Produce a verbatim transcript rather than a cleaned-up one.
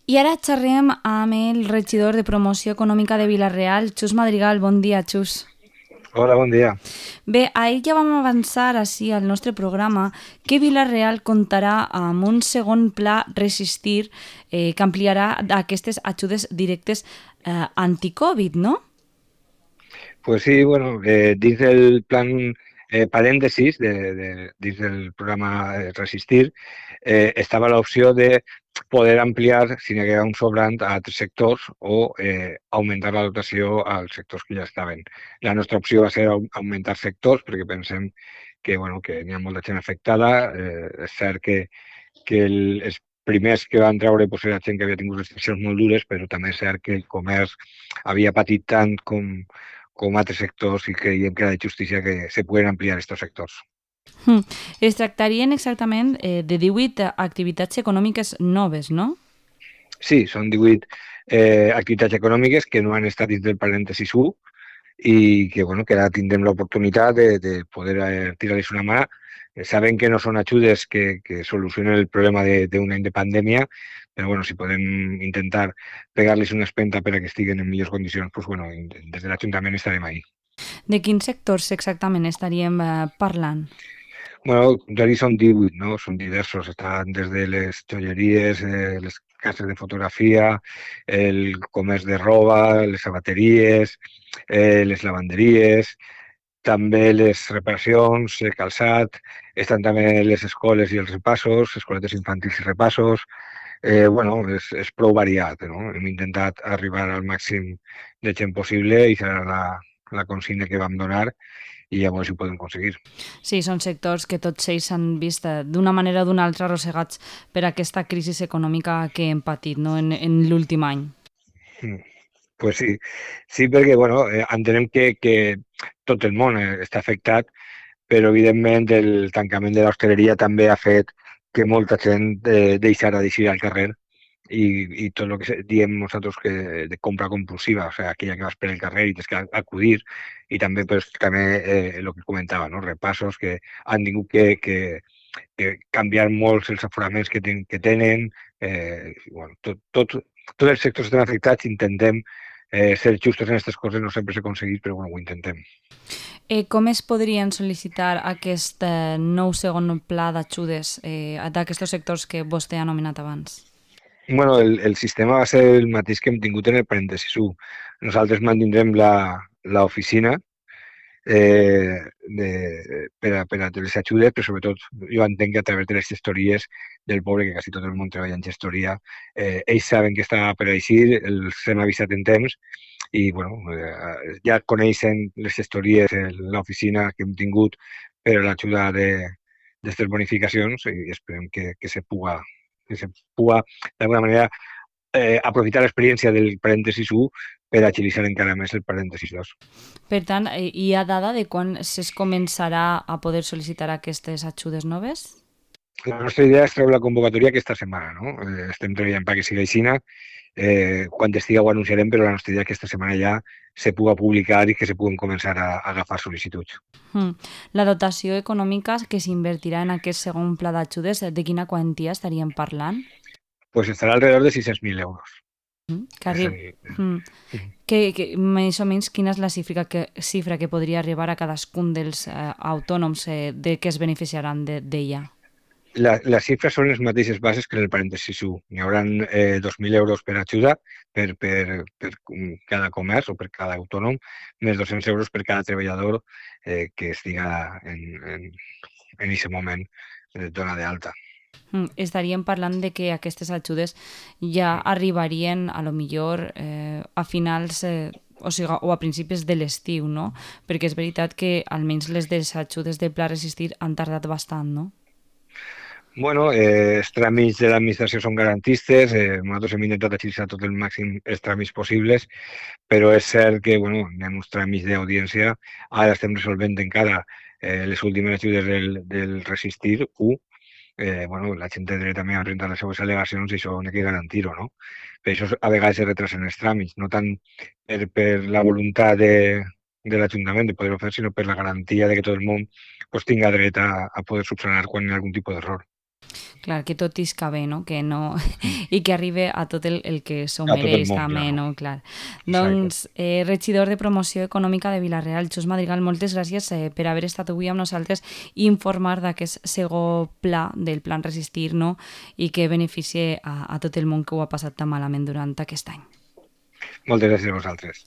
I ara xerrem amb el regidor de Promoció Econòmica de Vila-real, Xus Madrigal. Bon dia, Xus. Hola, bon dia. Bé, ahir ja vam avançar així al nostre programa que Vila-real comptarà amb un segon pla Resistir eh, que ampliarà aquestes ajudes directes eh, anti-Covid, no? Pues sí, bueno, eh, dins del plan eh, parèntesis, de, de, dins del programa eh, Resistir, eh, estava l'opció de poder ampliar, si n'hi hagués un sobrant, a altres sectors o eh, augmentar la dotació als sectors que ja estaven. La nostra opció va ser au- augmentar sectors perquè pensem que, bueno, que n'hi ha molta gent afectada. Eh, és cert que, que el, els primers que van treure pues, era gent que havia tingut restriccions molt dures, però també és cert que el comerç havia patit tant com, com altres sectors i creiem que era de justícia que se puguen ampliar aquests sectors. Hm. Es tractarien exactament eh, de divuit activitats econòmiques noves, no? Sí, són divuit eh, activitats econòmiques que no han estat dins del parèntesis u i que, bueno, que ara tindrem l'oportunitat de, de poder eh, tirar-los una mà. Eh, Sabem que no són ajudes que, que solucionen el problema d'un any de pandèmia, però bueno, si podem intentar pegar-los una espenta per a que estiguen en millors condicions, pues, bueno, des de l'Ajuntament estarem ahí. De quins sectors exactament estaríem eh, parlant? Bueno, ja hi són divuit, no? Són diversos. Estan des de les joieries, eh, les cases de fotografia, el comerç de roba, les sabateries, eh, les lavanderies, també les reparacions, el calçat, estan també les escoles i els repassos, escoletes infantils i repassos. Eh, bueno, és, és prou variat, no? Hem intentat arribar al màxim de gent possible i serà la, la consigna que vam donar i llavors ho podem aconseguir. Sí, són sectors que tots ells s'han vist eh, d'una manera o d'una altra arrossegats per aquesta crisi econòmica que hem patit, no?, en, en l'últim any. Mm. Pues sí, sí, perquè bueno, eh, entenem que, que tot el món eh, està afectat, però evidentment el tancament de l'hostaleria també ha fet que molta gent eh, deixara d'eixir al carrer i, i tot el que se- diem nosaltres que de compra compulsiva, o sigui, aquella que vas per el carrer i tens que acudir, i també pues, també eh, el que comentava, no? Repassos que han tingut que, que, que canviar molts els aforaments que, ten, que tenen, eh, i, bueno, tot, tot, tots els sectors estan afectats, intentem eh, ser justos en aquestes coses, no sempre s'ha aconseguit, però bueno, ho intentem. Eh, com es podrien sol·licitar aquest eh, nou segon pla d'ajudes eh, d'aquests sectors que vostè ha nomenat abans? Bueno, el, el sistema va ser el mateix que hem tingut en el parèntesis u. Nosaltres mantindrem la l'oficina eh, de, per, a, per a les ajudes, però sobretot jo entenc que a través de les gestories del poble, que quasi tot el món treballa en gestoria, eh, ells saben que està per així, els hem avisat en temps i bueno, eh, ja coneixen les gestories, eh, l'oficina que hem tingut per a l'ajuda d'aquestes bonificacions i esperem que, que se puga, que se puga d'alguna manera eh, aprofitar l'experiència del parèntesis u per agilitzar encara més el parèntesis dos. Per tant, eh, hi ha dada de quan es començarà a poder sol·licitar aquestes ajudes noves? La nostra idea és treure la convocatòria aquesta setmana, no? Eh, estem treballant perquè sigui així. Eh, quan estigui ho anunciarem, però la nostra idea és que aquesta setmana ja se puga publicar i que se puguen començar a, a agafar sol·licituds. Hmm. La dotació econòmica que s'invertirà en aquest segon pla d'ajudes, de quina quantia estaríem parlant? Pues estarà alrededor de sis-cents mil euros. Mm, que És a arriba. dir, Mm. Que, que, més o menys, quina és la xifra que, xifra que podria arribar a cadascun dels eh, autònoms eh, de que es beneficiaran de- d'ella? la, les xifres són les mateixes bases que en el parèntesi u. N'hi haurà eh, dos mil euros per ajuda per, per, per cada comerç o per cada autònom, més dos-cents euros per cada treballador eh, que estiga en, en, en aquest moment eh, dona d'alta. Mm, estaríem parlant de que aquestes ajudes ja arribarien a lo millor eh, a finals eh, o, sigui, o a principis de l'estiu, no? Perquè és veritat que almenys les des ajudes del Pla Resistir han tardat bastant, no? Bueno, eh, els tràmits de l'administració són garantistes, eh, nosaltres hem intentat agilitzar tot el màxim els tràmits possibles, però és cert que bueno, hi ha uns tràmits d'audiència, ara estem resolvent encara eh, les últimes ajudes del, del Resistir u, eh, bueno, la gent té dret també a presentar les seves al·legacions i això n'hi ha que garantir-ho, no? Per això a vegades es retrasen els tràmits, no tant per, per la voluntat de, de l'Ajuntament de poder-ho fer, sinó per la garantia de que tot el món pues, tinga dret a, a poder subsanar quan hi ha algun tipus d'error. Clar, que tot isca bé, no? Que no... I que arribi a tot el, el que s'ho A tot el mereix, món, també, claro. no? Clar. Exacte. Doncs, eh, regidor de Promoció Econòmica de Vila-real, Xus Madrigal, moltes gràcies eh, per haver estat avui amb nosaltres i informar d'aquest segon pla, del Plan Resistir, no? I que beneficie a, a tot el món que ho ha passat tan malament durant aquest any. Moltes gràcies a vosaltres.